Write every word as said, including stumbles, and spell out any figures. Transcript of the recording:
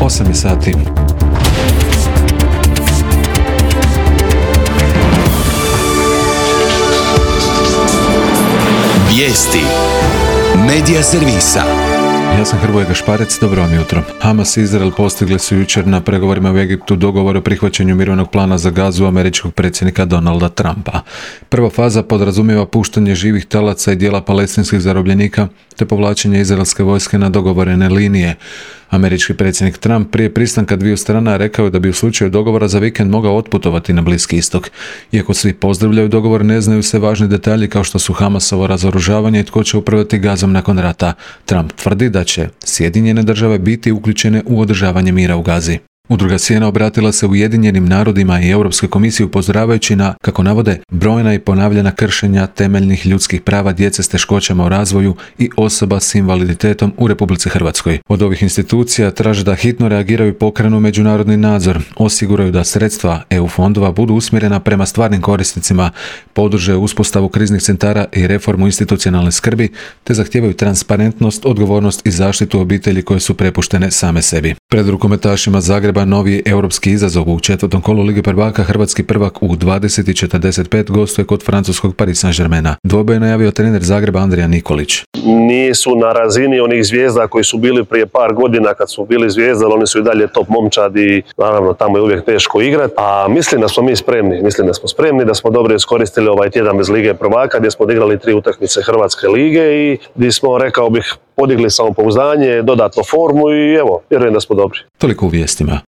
osam je sati. Vijesti Medija servisa. Ja sam Hrvoje Gašparec, dobro vam jutro. Hamas i Izrael postigli su jučer na pregovorima u Egiptu dogovor o prihvaćanju mirovnog plana za Gazu američkog predsjednika Donalda Trumpa. Prva faza podrazumijeva puštanje živih talaca i dijela palestinskih zarobljenika te povlačenje izraelske vojske na dogovorene linije. Američki predsjednik Trump prije pristanka dviju strana rekao je da bi u slučaju dogovora za vikend mogao otputovati na Bliski istok. Iako svi pozdravljaju dogovor, ne znaju se važni detalji kao što su Hamasovo razoružavanje i tko će upravljati Gazom nakon rata. Trump tvrdi da će Sjedinjene države biti uključene u održavanje mira u Gazi. Udruga Sjena obratila se Ujedinjenim narodima i Europskoj komisiji upozoravajući na, kako navode, brojna i ponavljana kršenja temeljnih ljudskih prava djece s teškoćama u razvoju i osoba s invaliditetom u Republici Hrvatskoj. Od ovih institucija traže da hitno reagiraju i pokrenu međunarodni nadzor, osiguraju da sredstva E U fondova budu usmjerena prema stvarnim korisnicima, podrže uspostavu kriznih centara i reformu institucionalne skrbi, te zahtijevaju transparentnost, odgovornost i zaštitu obitelji koje su prepuštene same sebi. Pred rukometašima Zagreba novi europski izazov u četvrtom kolu Lige prvaka. Hrvatski prvak u dvadeset i četrdeset pet gostuje kod francuskog Paris Saint-Germaina. Dvoboj je najavio trener Zagreba Andrija Nikolić. Nisu na razini onih zvijezda koji su bili prije par godina kad su bili zvijezda, ali oni su i dalje top momčad i naravno tamo je uvijek teško igrati. A mislim da smo mi spremni, mislim da smo spremni, da smo dobro iskoristili ovaj tjedan bez Lige prvaka gdje smo odigrali tri utakmice Hrvatske lige i gdje smo, rekao bih, podigli samopouzdanje, dodatno formu i evo, vjerujem da smo dobri. Toliko u vijestima.